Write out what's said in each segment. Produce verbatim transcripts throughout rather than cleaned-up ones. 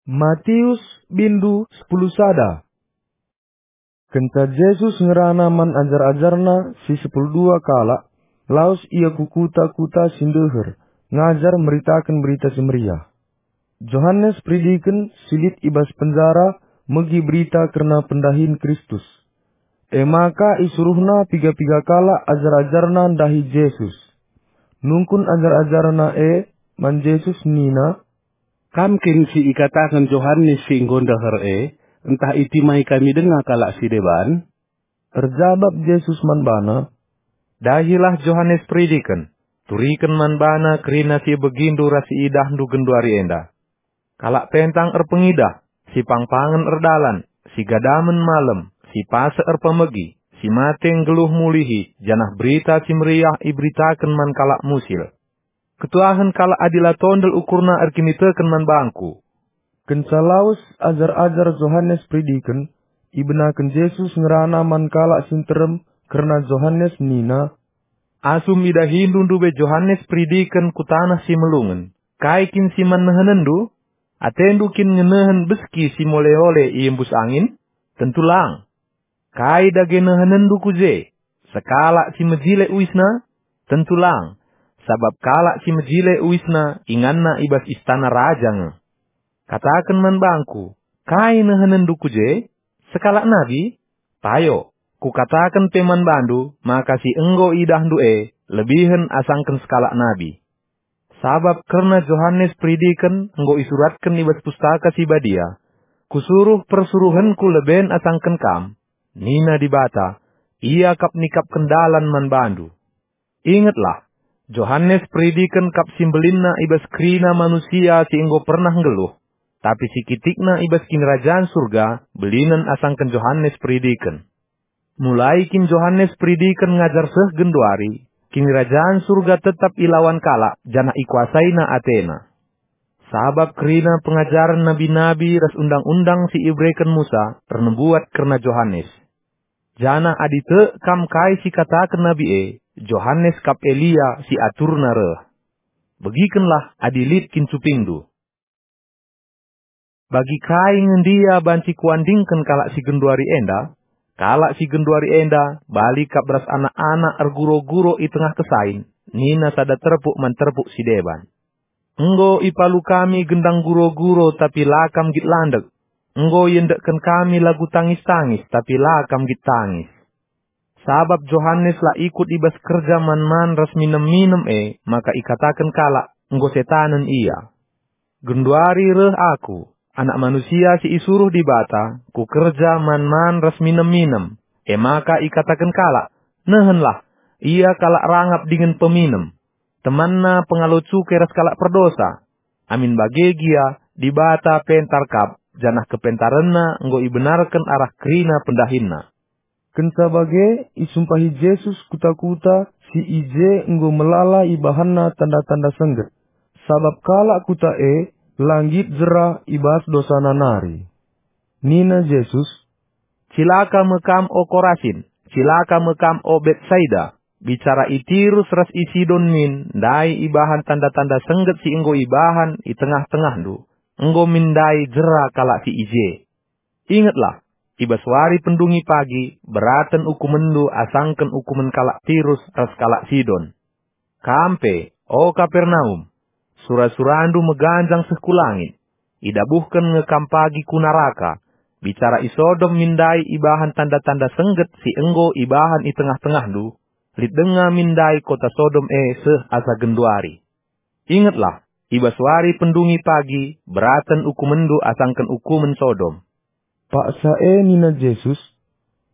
Matius, bindu sepuluh sada. Kenca Jesus ngerana man ajar-ajarNa si sepuluh dua kalak, lawes Ia ku kuta-kuta si ndeher, ngajar meritaken Berita Si Meriah. Johanes Peridiken si lit i bas penjara megi berita kerna pendahin Kristus. E maka isuruhna piga-piga kalak ajar-ajarNa ndahi Jesus. Nungkun ajar-ajarNa e man Jesus nina, "Kam kin si ikataken Johanes si enggo ndeher e, ntah itimai kami denga kalak si deban?" Erjabap Jesus man bana, "Dahilah Johanes Peridiken, turiken man bana kerina si ibegindu ras si idahndu genduari enda. Kalak pentang erpengidah, si pangpangen erdalan, si gadamen malem, si pasek erpemegi, si mate nggeluh mulihi, janah Berita Si Meriah iberitaken man kalak musil. Ketuahen kalak adi la tondel ukurna erkiniteken man bangKu." Kenca lawes ajar-ajar Johanes Peridiken, ibenaken Jesus ngerana man kalak si nterem kerna Johanes nina, "Asum idahindu ndube Johanes Peridiken ku taneh si melungen, kai kin si man nehenenndu? Atendu kin ngenehen beski si mole-ole iembus angin? Tentu lang! Kai dage nehenenndu ku je? Sekalak si mejile uisna? Tentu lang, sabap kalak si mejile uisna inganna i bas istana raja nge. Kataken man bangKu, kai nehenenndu ku je? Sekalak nabi? Payo, Kukataken pe man bandu maka si enggo idahndu e lebihen asangken sekalak nabi. Sabap kerna Johanes Peridiken enggo isuratken i bas Pustaka Si Badia, 'Kusuruh persuruhenKu leben asangken kam,' nina Dibata, 'Ia kap nikapken dalan man bandu.' Ingetlah, Johanes Peridiken kap si mbelinna i bas kerina manusia si enggo pernah nggeluh, tapi si kitikna i bas Kinirajan Surga belinen asangken Johanes Peridiken. Mulai kin Johanes Peridiken ngajar seh genduari, Kinirajan Surga tetap ilawan kalak janah ikuasaina atena. Sabap kerina pengajaren nabi-nabi ras undang-undang si ibereken Musa ernembuat kerna Johanes. Janah adi tek kam kai si kataken nabi e, Johanes kap Elia si aturna reh. Begikenlah adi lit kin cupingndu. Bagi kai nge ndia banci kuandingken kalak si genduari enda? Kalak si genduari enda bali kap ras anak-anak erguro-guro i tengah kesain, nina sada terpuk man terpuk si deban. Enggo ipalu kami gendang guro-guro, tapi la kam nggit landek. Enggo iendekken kami lagu tangis-tangis, tapi la kam nggit tangis. Sabap Johanes la ikut i bas kerja man-man ras minem-minem e, maka ikataken kalak, "Enggo setanen ia." Genduari reh Aku, Anak Manusia si isuruh Dibata, ku kerja man-man ras minem-minem. E maka ikataken kalak, "Nehenlah, ia kalak rangap dingen peminem. Temanna pengalo cuke ras kalak perdosa." Amin bage gia, Dibata pentar kap, janah kepentarenNa enggo ibenarken arah kerina pendahinNa. Kenca bage, isumpahi Jesus kuta-kuta si i je enggo melala ibahanNa tanda-tanda sengget, sabap kalak kuta e la nggit jera i bas dosana nari. Nina Jesus, "Cilaka me kam, o Korasin! Cilaka me kam, o Betsaida! Bicara i Tirus ras i Sidon min ndai ibahan tanda-tanda sengget si enggo ibahan i tengah-tengahndu, enggo min ndai jera kalak si i je. Ingetlah, i bas wari pendungi pagi beraten ukumenndu asangken ukumen kalak Tirus ras kalak Sidon. Kam pe, o Kapernaum, sura-surandu meganjang seh ku langit. Idabuhken nge kam pagi ku naraka. Bicara i Sodom min ndai ibahan tanda-tanda sengget si enggo ibahan i tengah-tengahndu, lit denga min ndai kota Sodom e seh asa genduari. Ingetlah, i bas wari pendungi pagi beraten ukumenndu asangken ukumen Sodom." Paksa e nina Jesus,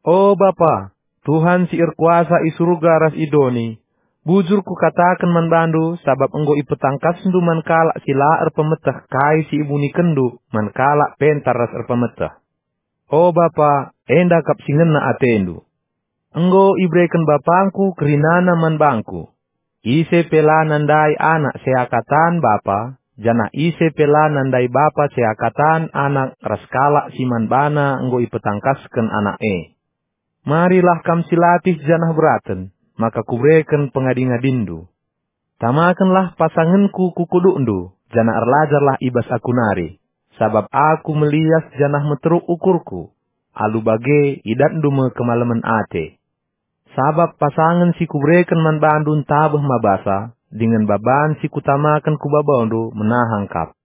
"O Bapa, Tuhan si erkuasa i Surga ras i doni, bujur kukataken man bandu, sabap enggo ipetangkasndu man kalak si la erpemeteh kai si ibunikenndu man kalak pentar ras erpemeteh. O Bapa, enda kap si ngena atendu. Enggo ibereken BapangKu kerinana man bangKu. Ise pe la nandai Anak seakatan Bapa, janah ise pe la nandai Bapa seakatan Anak ras kalak si man baNa enggo ipetangkasken Anak e. Marilah kam silatih janah beraten, maka Kubereken pengadi-ngadinndu. Tamakenlah pasangenKu ku kudukndu, janah erlajarlah i bas Aku nari. sabap aku melias janah meteruk ukurku. Alu bage idatndu me kemalemen ate. Sabap pasangen si kubereken man bandu ntabeh mabasa, dingen baban si kutamaken ku babandu menahang kap.